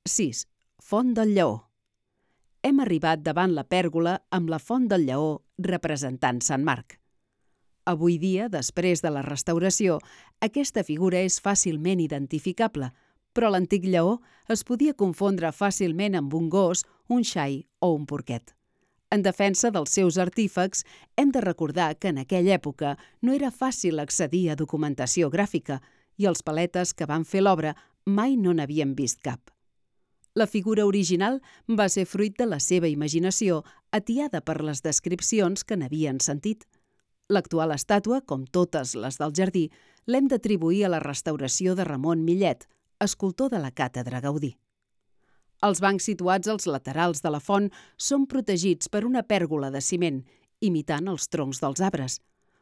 6. Font del Lleó. Hem arribat davant la pèrgola amb la Font del Lleó representant Sant Marc. Avui dia, després de la restauració, aquesta figura és fàcilment identificable, però l'antic lleó es podia confondre fàcilment amb un gos, un xai o un porquet. En defensa dels seus artífex, hem de recordar que en aquella època no era fàcil accedir a documentació gràfica i els paletes que van fer l'obra mai no n'havien vist cap. La figura original va ser fruit de la seva imaginació, atiada per les descripcions que n'havien sentit. L'actual estàtua, com totes les del jardí, l'hem d'atribuir a la restauració de Ramon Millet, escultor de la Càtedra Gaudí. Els bancs situats als laterals de la font són protegits per una pèrgola de ciment, imitant els troncs dels arbres.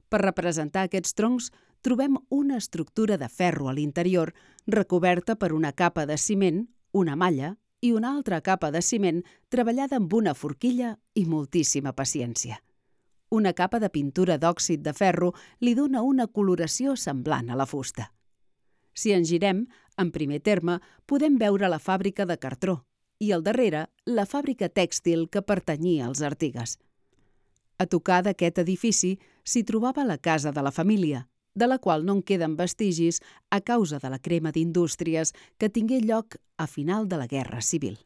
Per representar aquests troncs, trobem una estructura de ferro a l'interior, recoberta per una capa de ciment, una malla i una altra capa de ciment treballada amb una forquilla i moltíssima paciència. Una capa de pintura d'òxid de ferro li dona una coloració semblant a la fusta. Si ens girem, en primer terme, podem veure la fàbrica de cartró i al darrere la fàbrica tèxtil que pertanyia als Artigues. A tocar d'aquest edifici s'hi trobava la casa de la família, de la qual no en queden vestigis a causa de la crema d'indústries que tingué lloc a final de la Guerra Civil.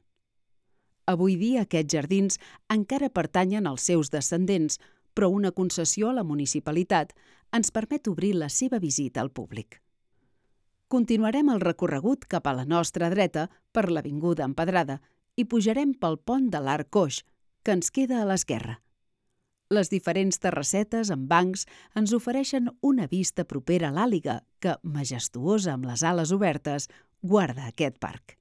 Avui dia aquests jardins encara pertanyen als seus descendents, però una concessió a la municipalitat ens permet obrir la seva visita al públic. Continuarem el recorregut cap a la nostra dreta per l'avinguda Empedrada i pujarem pel pont de l'Arc Coix, que ens queda a l'esquerra. Les diferents terrassetes amb bancs ens ofereixen una vista propera a l'Àliga que, majestuosa amb les ales obertes, guarda aquest parc.